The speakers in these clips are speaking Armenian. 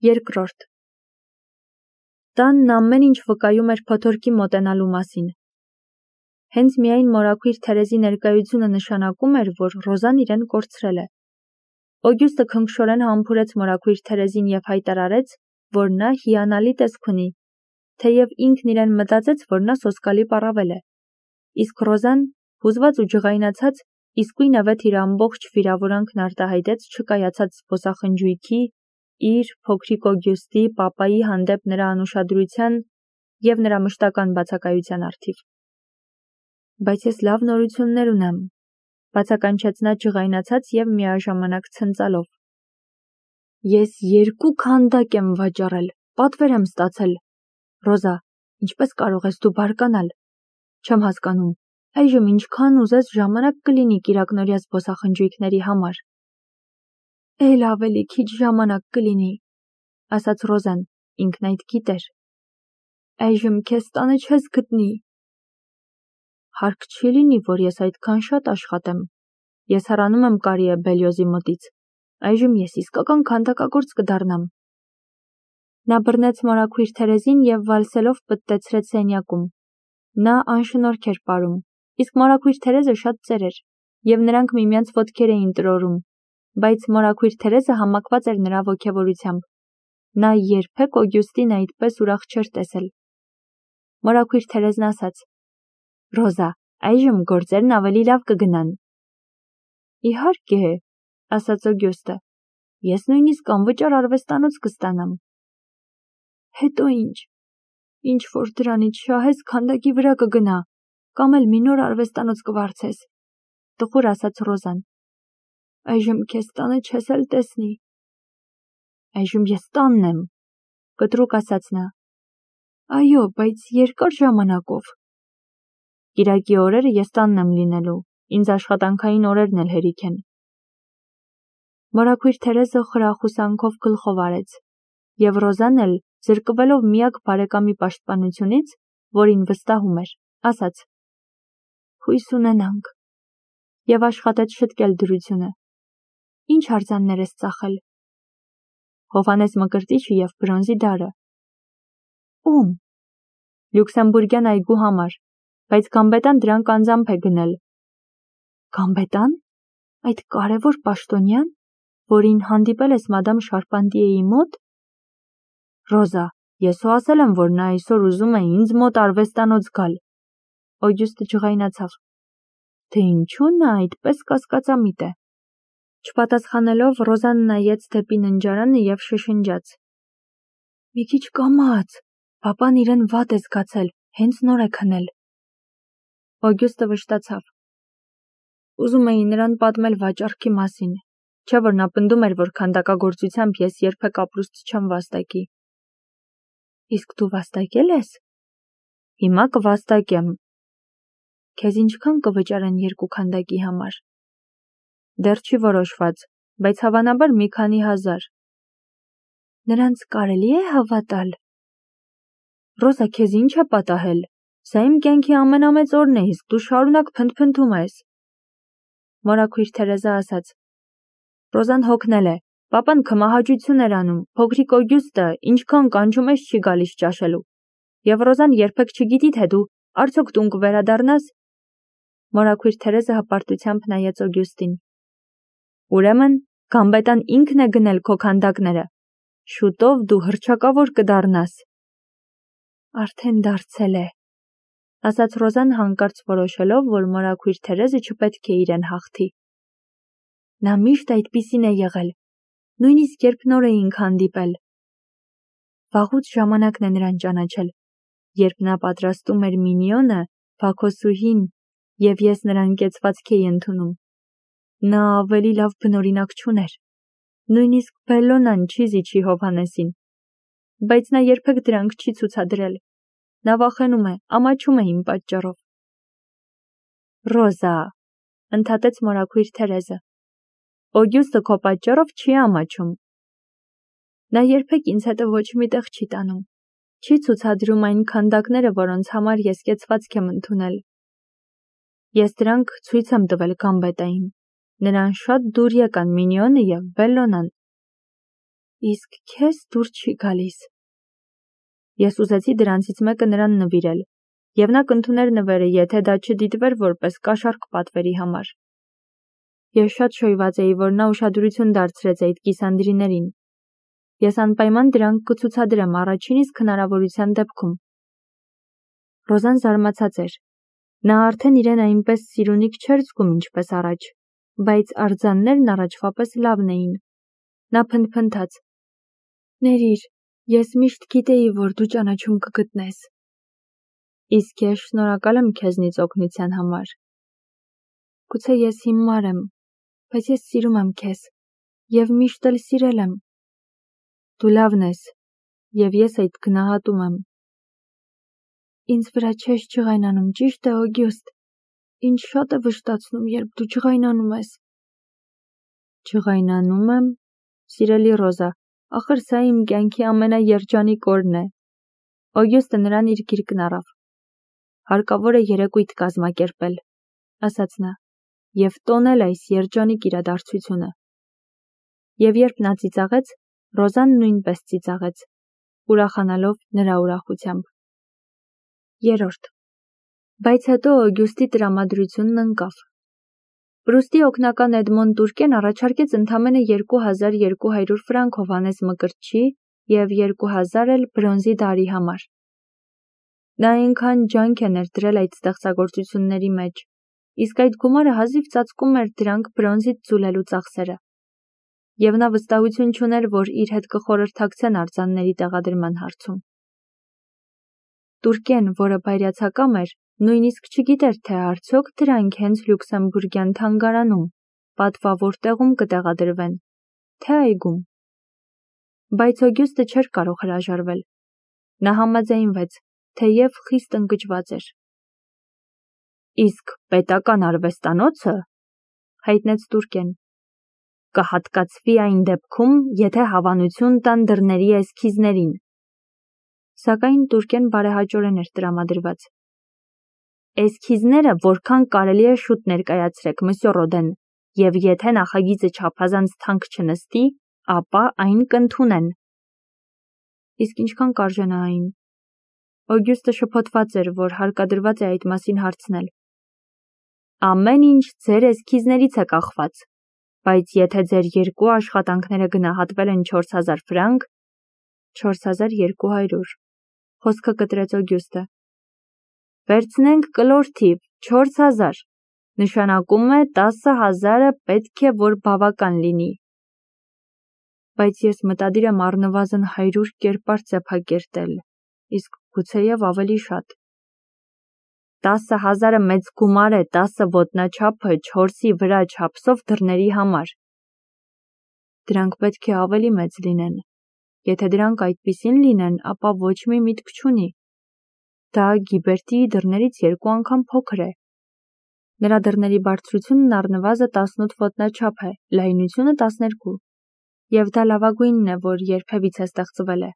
Երկրորդ Տանն ամեն ինչ վկայում էր փոթորկի մոտենալու մասին։ Հենց միայն մորաքույր Թերեզի ներկայությունը նշանակում էր, որ Ռոզան իրեն կորցրել է։ Օգյուստը քնքշորեն համբուրեց մորաքույր Թերեզին և հայտարարեց, որ նա հիանալի տեսք ունի, թեև ինքն իրեն մտածեց, որ նա սոսկալի պառավել է։ Իսկ Ռոզան, հուզված ու ջղայնացած, իսկույնևեթ իր ամբողջ վիրավորանքն արտահայտեց չկայացած զբոսախնջույքի, իր, փոքրիկ Օգյուստի, պապայի հանդեպ նրա անուշադրության և նրա մշտական բացակայության առթիվ։ Բայց ես լավ նորություններ ունեմ, բացականչեց նա ջղայնացած և միաժամանակ ցնծալով։ Ես 2 քանդակ եմ վաճառել, պատվեր եմ ստացել։ Ռոզա, ինչպես կարող ես դու բարկանալ։ Չեմ հասկանում, այժմ ինչքան ուզես ժամանակ կլինի կիրակնօրյա զբոսախնջույքների համար։ Էլ ավելի քիչ ժամանակ կլինի, ասաց Ռոզան, ինքն այդ գիտեր։ Այժմ քեզ տանը չես գտնի։ Հարկ չի լինի, որ ես այդքան շատ աշխատեմ։ Ես հեռանում եմ Կարիե Բելյոզի մոտից։ Այժմ ես իսկական քանդակագործ կդառնամ։ Նա բռնեց մորաքույր Թերեզին և վալսելով պտտեցրեց սենյակում։ Նա անշնորհք էր պարում, իսկ մորաքույր Թերեզը շատ ծեր էր, և նրանք միմյանց ոտքեր էին տրորում, բայց մորաքույր Թերեզը համակված էր նրա ոգևորությամբ։ Նա երբեք Օգյուստին այդպես ուրախ չէր տեսել։ Մորաքույր Թերեզն ասաց. Ռոզա, այժմ գործերն ավելի լավ կգնան։ Իհարկե, ասաց Օգյուստը, ես նույնիսկ անվճար արվեստանոց կստանամ։ Հետո ինչ։ Ինչ որ դրանից շահես քանդակի վրա կգնա, կամ էլ մի նոր արվեստանոց կվարձես, տխուր ասաց Ռոզան։ Այժմ քեզ տանը չես էլ տեսնի։ Այժմ ես տանն եմ, կտրուկ ասաց նա։ Այո, բայց երկար ժամանակով։ Կիրակի օրերը ես տանն եմ լինելու, ինձ աշխատանքային օրերն էլ հերիք են։ Մորաքույր Թերեզը խրախուսանքով գլխով արեց, և Ռոզան էլ, զրկվելով միակ բարեկամի պաշտպանությունից, որին վստահում էր, ասաց. Հույս ունենանք, և աշխատեց շտկել դրությունը։ Ինչ արձաններ ես ծախել։ Հովհաննես Մկրտիչը և բրոնզի դարը։ Ում։ Լյուքսեմբուրգյան այգու համար, բայց Գամբետան դրանք անձամբ է գնել։ Գամբետան։ Այդ կարևոր պաշտոնյան, որին հանդիպել ես մադամ Շարպանտիեի մոտ։ Ռոզա, ես ու ասել եմ, որ նա այսօր ուզում է ինձ մոտ արվեստանոց գալ։ Օգյուստը ջղայնացավ։ Թե ինչու նա այդպես կասկածամիտ է։ Չպատասխանելով Ռոզան նայեց դեպի ննջարանը և շշնջաց. Մի քիչ կամաց, պապան իրեն վատ է զգացել, հենց նոր է քնել։ Օգյուստը վշտացավ։ Ուզում էի նրան պատմել վաճառքի մասին, չէ որ նա պնդում էր, որ քանդակագործությամբ ես երբեք ապրուստ չեմ վաստակի։ Իսկ դու վաստակել ես։ Հիմա կվաստակեմ։ Քեզ ինչքան կվճարեն 2 քանդակի համար։ Դեռ չի որոշված, բայց հավանաբար մի քանի հազար։ Նրանց կարելի է հավատալ։ Ռոզա, քեզ ինչ է պատահել։ Սա իմ կյանքի ամենամեծ օրն է, իսկ դու շարունակ փնթփնթում ես։ Մորաքույր Թերեզը ասաց. Ռոզան հոգնել է։ Պապան քմահաճություն էր անում, փոքրիկ Օգյուստը ինչքան կանչում ես չի գալիս ճաշելու։ Եվ Ռոզան երբեք չգիտի, թե դու արդյոք տուն կվերադառնաս։ Մորաքույր Թերեզը հպարտությամբ նայեց Օգյուստին։ Ուրեմն, Գամբետան ինքն է գնել քո քանդակները։ Շուտով դու հռչակավոր կդառնաս։ Արդեն դարձել է, ասաց Ռոզան հանկարծ որոշելով, որ մորաքույր Թերեզը չպետք է իրեն հաղթի։ Նա միշտ այդպիսին է եղել, նույնիսկ երբ նոր էինք հանդիպել։ Վաղուց ժամանակն է նրան ճանաչել, երբ նա պատրաստում էր մինիոնը, Բաքոսուհին, և ես նրան կեցվածք էի ընդունում։ Նա ավելի լավ բնօրինակ չուներ։ Նույնիսկ Բելլոնան չի զիջի Հովհաննեսին։ Բայց նա երբեք դրանք չի ցուցադրել։ Նա վախենում է, ամաչում է իմ պատճառով։ Ռոզա, ընդհատեց մորաքույր Թերեզը։ Օգյուստը քո պատճառով չի ամաչում։ Նա երբեք ինձ հետը ոչ մի տեղ չի տանում։ Չի ցուցադրում այն քանդակները, որոնց համար ես կեցվածք եմ ընդունել։ Ես դրանք ցույց եմ տվել Գամբետային։ Նրան շատ դուր եկան մինիոնը և Բելլոնան։ Իսկ քեզ դուր չի գալիս։ Ես ուզեցի դրանցից մեկը նրան նվիրել, եւ նա կընդուներ նվերը, եթե դա չդիտվեր որպես կաշառք պատվերի համար։ Ես շատ շոյված էի, որ նա ուշադրություն դարձրեց այդ կիսանդրիներին։ Ես անպայման դրանք կցուցադրեմ առաջին իսկ հնարավորության դեպքում։ Ռոզան զարմացած էր։ Նա արդեն իրեն այնպես սիրունիկ չէր զգում, ինչպես առաջ, բայց արձաններն առաջվա պես լավն էին։ Նա փնթփնթաց. «Ներիր, ես միշտ գիտեի, որ դու ճանաչում կգտնես»։ Իսկ ես շնորհակալ եմ քեզնից օգնության համար։ Գուցե ես հիմար եմ, բայց ես սիրում եմ քեզ եւ միշտ էլ սիրել եմ։ Դու լավն ես, եւ ես այդ գնահատում եմ։ Ինձ վրա չես ջղայնանում, ճիշտ է, Օգյուստ։ Ինչ շատ է վշտացնում, երբ դու ջղայնանում ես։ Ջղայնանում եմ, սիրելի Ռոզա, ախր սա իմ կյանքի ամենաերջանիկ օրն է։ Օգյուստը նրան իր գիրկն առավ։ Հարկավոր է երեկույթ կազմակերպել, ասաց նա, եւ տոնել այս երջանիկ իրադարձությունը։ Եվ երբ նա ծիծաղեց, Ռոզան նույնպես ծիծաղեց, ուրախանալով նրա ուրախությամբ։ 3. Բայց հետո Օգյուստի տրամադրությունն ընկավ։ Պրուստի օգնական Էդմոն Տուրկեն առաջարկեց ընդամենը 2200 ֆրանկ Հովհաննես Մկրտչի եւ 2000 էլ բրոնզի դարի համար։ Նա այնքան ջանք է ներդրել այդ ստեղծագործությունների մեջ, իսկ այդ գումարը հազիվ ծածկում էր դրանք բրոնզից ձուլելու ծախսերը։ Եվ նա վստահություն չուներ, որ իր հետ կխորհրդակցեն արձանների տեղադրման հարցում։ Տուրկեն, որը բայրացակամ էր, նույնիսկ չգիտեր, թե արդյոք դրանք հենց Լյուքսեմբուրգյան թանգարանում, պատվավոր տեղում կտեղադրվեն, թե այգում։ Բայց Օգյուստը չէր կարող հրաժարվել։ Նա համաձայնվեց, թեև խիստ ընկճված էր։ Իսկ պետական արվեստանոցը, հայտնեց Տուրկեն, կհատկացվի այն դեպքում, եթե հավանություն տան դռների էսքիզներին։ Սակայն Տուրկեն բարեհաճորեն էր տրամադրված։ Էսքիզները որքան կարելի է շուտ ներկայացրեք, մսյո Ռոդեն, եւ եթե նախագիծը չափազանց թանկ չնստի, ապա այն կընդունեն։ Իսկ ինչքան կարժենա այն։ Օգյուստը շփոթված էր, որ հարկադրված է այդ մասին հարցնել։ Ամեն ինչ ձեր էսքիզներից է կախված, բայց եթե ձեր երկու աշխատանքները գնահատվել են 4000 ֆրանկ, 4200, խոսքը կտրեց Օգյուստը։ Վերցնենք կլոր թիվ, 4000, նշանակում է 10000-ը պետք է որ բավական լինի։ Բայց ես մտադիր եմ առնվազն 100 կերպար ծեփակերտել, իսկ գուցեև ավելի շատ։ 10000-ը մեծ գումար է 10 ոտնաչափը 4-ի վրա չափսով դռների համար։ Դրանք պետք է ավելի մեծ լինեն։ Եթե դրանք այդպիսին լինեն, ապա ոչ մի միտք չունի։ Դա Գիբերտիի դռներից 2 անգամ փոքր է։ Նրա դռների բարձրությունն առնվազն 18 ոտնաչափ է, լայնությունը 12, եւ դա լավագույնն է, որ երբևիցե ստեղծվել է։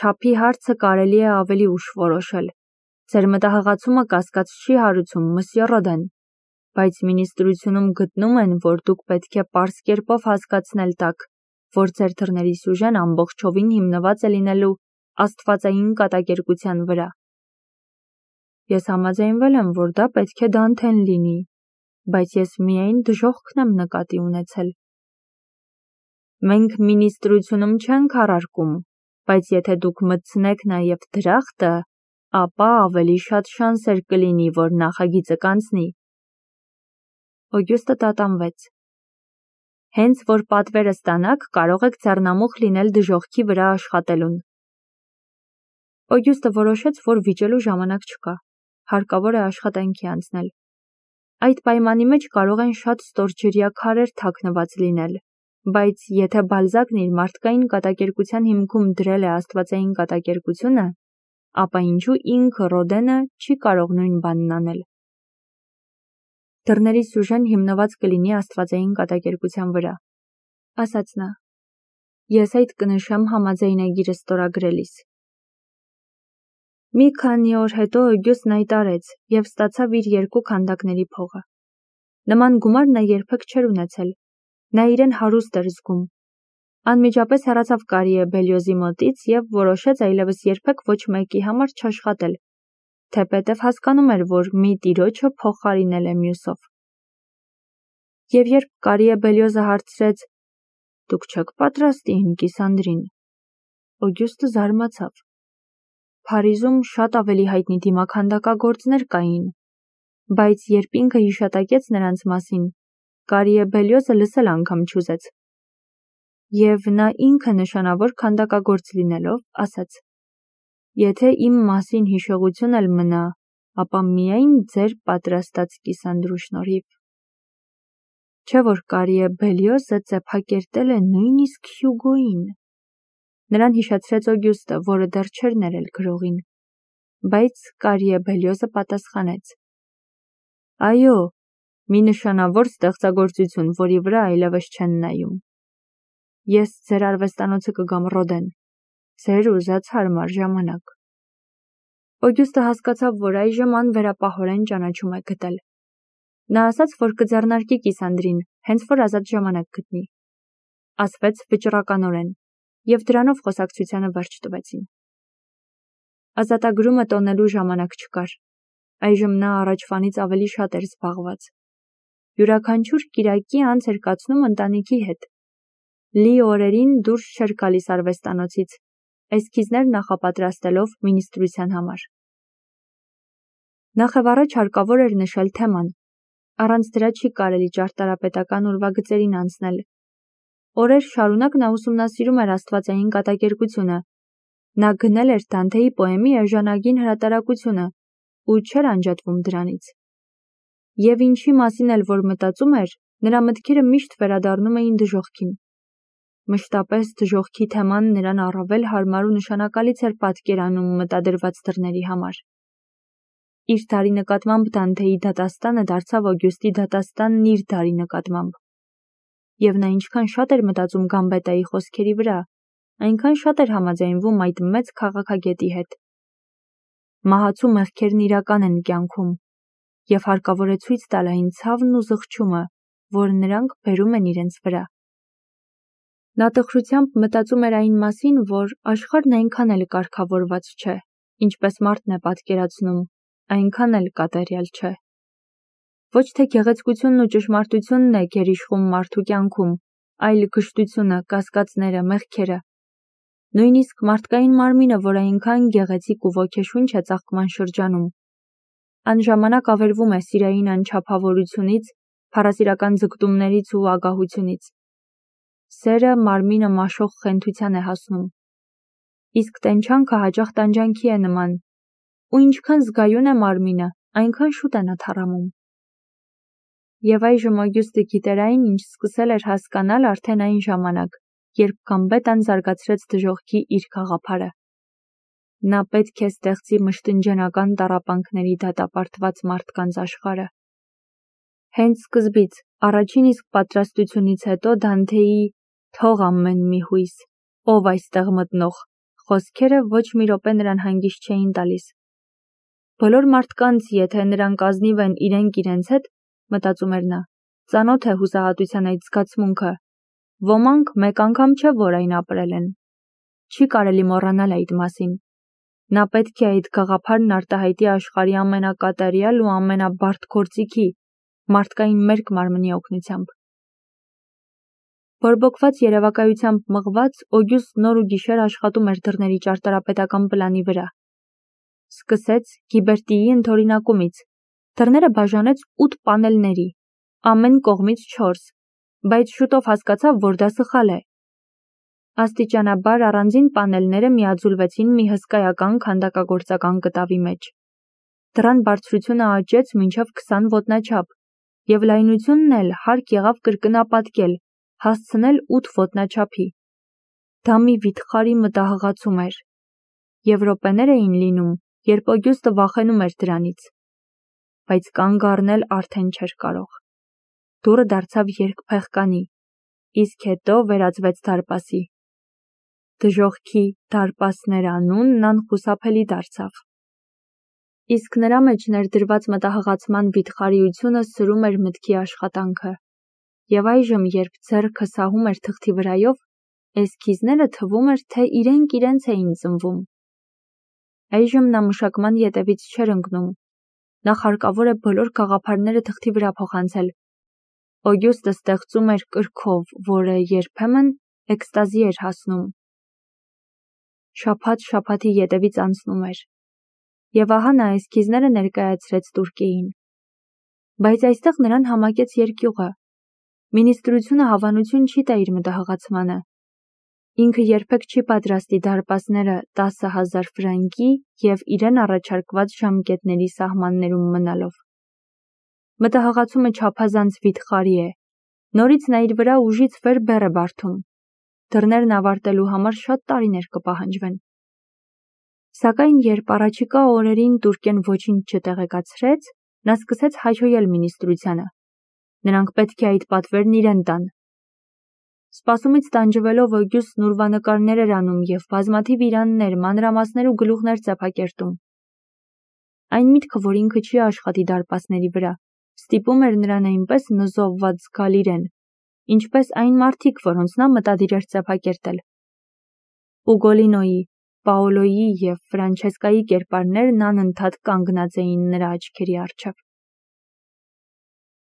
Չափի հարցը կարելի է ավելի ուշ որոշել։ Ձեր մտահղացումը կասկած չի հարուցում, մսյո Ռոդեն, բայց մինիստրությունում գտնում են, որ դուք պետք է պարզ կերպով հասկացնել տաք, որ ձեր դռների սյուժեն ամբողջովին հիմնված է լինելու աստվածային կատակերգության վրա։ Ես համաձայնվել եմ, որ դա պետք է Դանթեն լինի, բայց ես միայն դժոխքն եմ նկատի ունեցել։ Մենք մինիստրությունում չենք առարկում, բայց եթե դուք մտցնեք նաև դրախտը, ապա ավելի շատ շանսեր կլինի, որ նախագիծը կանցնի։ Օգյուստը տատանվեց։ Հենց որ պատվերը ստանաք, կարող եք ձեռնամուխ լինել դժոխքի վրա աշխատելուն։ Օգյուստը որոշեց, որ վիճելու ժամանակ չկա, հարկավոր է աշխատանքի անցնել։ Այդ պայմանի մեջ կարող են շատ ստորջրյա քարեր թաքնված լինել, բայց եթե Բալզակն իր մարդկային կատակերգության հիմքում դրել է աստվածային կատակերգությունը, ապա ինչու ինքը Ռոդենը չի կարող նույն բանն անել։ Դռների սյուժեն հիմնված կլինի աստվածային կատակերգության վրա, ասաց նա։ Ես այդ կնշեմ համաձայնագիրը ստորագրելիս։ Մի քանի օր հետո Օգյուստն այտարեց եւ ստացավ իր 2 քանդակների փողը։ Նման գումար նա երբեք չէր ունեցել։ Նա իրեն հարուստ էր զգում։ Անմիջապես հեռացավ Կարիե Բելիոզի մոտից և որոշեց այլևս երբեք ոչ մեկի համար չաշխատել, թեպետև հասկանում էր, որ մի տիրոջը փոխարինել է մյուսով։ Եվ երբ Կարիե Բելիոզը հարցրեց. «Դուք չեք պատրաստ իմ կիսանդրին», Օգյուստը զարմացավ։ Փարիզում շատ ավելի հայտնի դիմաքանդակագործներ կային, բայց երբ ինքը հիշատակեց նրանց մասին, Կարիե Բելիոզը լսել անգամ չուզեց։ Եվ նա ինքը նշանավոր քանդակագործ լինելով, ասաց. «Եթե իմ մասին հիշողություն էլ մնա, ապա միայն ձեր պատրաստած կիսանդրու շնորհիվ»։ Չէ՞ որ Կարիե Բելիոզը ծեփակերտել է նույնիսկ Հյուգոյին։ Նրան հիշեցրեց Օգյուստը, որը դեռ չէր ներել գրողին, բայց Կարիե Բելիոզը պատասխանեց. «Այո, մի նշանավոր ստեղծագործություն, որի վրա այլևս չեն նայում։ Ես ձեր արվեստանոցը կգամ Ռոդեն, ձեր ուզած հարմար ժամանակ»։ Օգյուստը հասկացավ, որ այժմ անվերապահորեն ճանաչում է գտել։ Նա ասաց, որ կձեռնարկի կիսանդրին, հենց որ ազատ ժամանակ գտնի։ Ասվեց վճռականորեն, և դրանով խոսակցությանը վերջ տվեցին։ Ազատագրումը տոնելու ժամանակ չկար։ Այժմ նա առաջվանից ավելի շատ էր զբաղված։ Յուրաքանչյուր կիրակի անց էր կացնում ընտանիքի հետ։ Լի օրերին դուրս չէր գալիս արվեստանոցից, էսքիզներ նախապատրաստելով մինիստրության համար։ Նախևառաջ հարկավոր էր նշել թեման։ Առանց դրա չի կարելի ճարտարապետական ուրվագծերին անցնել։ Օրեր շարունակ նա ուսումնասիրում էր աստվածային կատակերգությունը։ Նա գնել էր Դանթեի պոեմի էժանագին հրատարակությունը ու չէր անջատվում դրանից։ Եվ ինչի մասին էլ որ մտածում էր, նրա մտքերը միշտ վերադառնում էին դժոխքին։ Մշտապես դժոխքի թեման նրան առավել հարմար ու նշանակալից էր պատկերանում մտադրված դռների համար։ Իր դարի նկատմամբ Դանթեի դատաստանը դարձավ Օգյուստի դատաստանն իր դարի նկատմամբ։ Եվ նա ինչքան շատ էր մտածում Գամբետայի խոսքերի վրա, այնքան շատ էր համաձայնվում այդ մեծ քաղաքագետի հետ։ Մահացու մեղքերն իրական են կյանքում, և հարկավոր է ցույց տալ այն ցավն ու զղջումը, որ նրանք բերում են իրենց վրա։ Նա տխրությամբ մտածում էր այն մասին, որ աշխարհն այնքան էլ կարգավորված չէ, ինչպես մարդն է պատկերացնում, այնքան էլ կատարյալ չէ։ Ոչ թե գեղեցկությունն ու ճշմարտությունն է գերիշխում մարդու կյանքում, այլ գժտությունը, կասկածները, մեղքերը։ Նույնիսկ մարդկային մարմինը, որ այնքան գեղեցիկ ու ոգեշունչ է ծաղկման շրջանում, անժամանակ ավերվում է սիրային անչափավորությունից, փառասիրական ձգտումներից ու ագահությունից։ Սերը մարմինը մաշող խենթության է հասնում։ Իսկ տենչանքը հաճախ տանջանքի է նման, ու ինչքան զգայուն է մարմինը, այնքան շուտ է նա թառամում։ Եվ այժմ Օգյուստը գիտեր այն, ինչ սկսել էր հասկանալ արդեն այն ժամանակ, երբ Գամբետան զարգացրեց դժոխքի իր գաղափարը։ Նա պետք է ստեղծի մշտնջենական տառապանքների դատապարտված մարդկանց աշխարհը։ Հենց սկզբից, առաջին իսկ պատրաստությունից հետո Դանթեի «Թող ամեն մի հույս, ով այստեղ մտնող» խոսքերը ոչ մի րոպե նրան հանգիստ չէին տալիս։ Բոլոր մարդկանց, եթե նրանք ազնիվ են իրենք իրենց հետ, մտածում էր նա, ծանոթ է հուսահատության այդ զգացմունքը։ Ոմանք մեկ անգամ չէ, որ այն ապրել են։ Չի կարելի մոռանալ այդ մասին։ Նա պետք է այդ գաղափարն արտահայտի աշխարհի ամենակատարյալ ու ամենաբարդ գործիքի՝ մարդկային մերկ մարմնի օգնությամբ։ Բորբոքված երևակայությամբ մղված, Օգյուստն օր ու գիշեր աշխատում էր դռների ճարտարապետական պլանի վրա։ Սկսեց Գիբերտիի ընդօրինակումից։ Դռները բաժանեց 8 պանելների, ամեն կողմից 4, բայց շուտով հասկացավ, որ դա սխալ է։ Աստիճանաբար առանձին պանելները միաձուլվեցին մի հսկայական քանդակագործական կտավի մեջ։ Դռան բարձրությունը աճեց մինչև 20 ոտնաչափ, և լայնությունն էլ հարկ եղավ կրկնապատկել, հասցնել 8 ոտնաչափի։ Դա մի վիթխարի մտահղացում էր։ Եվ րոպեներ էին լինում, երբ Օգյուստը վախենում էր դրանից։ Բայց կանգ առնել արդեն չէր կարող։ Դուռը դարձավ երկփեղկանի, իսկ հետո վերածվեց դարպասի։ Դժոխքի դարպասներ անունն անխուսափելի դարձավ։ Իսկ նրա մեջ ներդրված մտահղացման վիթխարիությունը սրում էր մտքի աշխատանքը։ Եվ այժմ, երբ ձեռքը սահում էր թղթի վրայով, Էսքիզները թվում էր, թե իրենք իրենց էին ծնվում։ Այժմ նա մշակման ետևից չէր ընկնում։ Նախ հարկավոր է բոլոր գաղափարները թղթի վրա փոխանցել։ Օգյուստը ստեղծում էր կրքով, որը երբեմն էքստազի էր հասնում։ Շաբաթ շաբաթի ետևից անցնում էր։ Եվ ահա նա էսքիզները ներկայացրեց Տուրկեին։ Բայց այստեղ նրան համակեց երկյուղը։ Մինիստրությունը հավանություն չի տա իր մտահղացմանը։ Ինքը երբեք չի պատրաստի դարպասները 10,000 ֆրանկի և իրեն առաջարկված ժամկետների սահմաններում մնալով։ Մտահղացումը չափազանց վիթխարի է։ Նորից նա իր վրա ուժից վեր բեռ է բարդում։ Դռներն ավարտելու համար շատ տարիներ կպահանջվեն։ Սակայն երբ առաջիկա օրերին Տուրկեն ոչինչ չտեղեկացրեց, նա սկսեց հաճոյել մինիստրությանը։ Նրանք պետք է այդ պատվերն իրեն տան։ Սպասումից տանջվելով Օգյուստն ուրվանկարներ էր անում և բազմաթիվ իրաններ, մանրամասներ ու գլուխներ ծափակերտում։ Այն միտքը, որ ինքը չի աշխատի դարպասների վրա, ստիպում էր նրան այնպես նզովված զգալ իրեն, ինչպես այն մարդիկ, որոնց նա մտադիր էր ծափակերտել։ Ուգոլինոյի, Պաոլոյի և Ֆրանչեսկայի կերպարներն անընդհատ կանգնած էին նրա աչքերի առջև։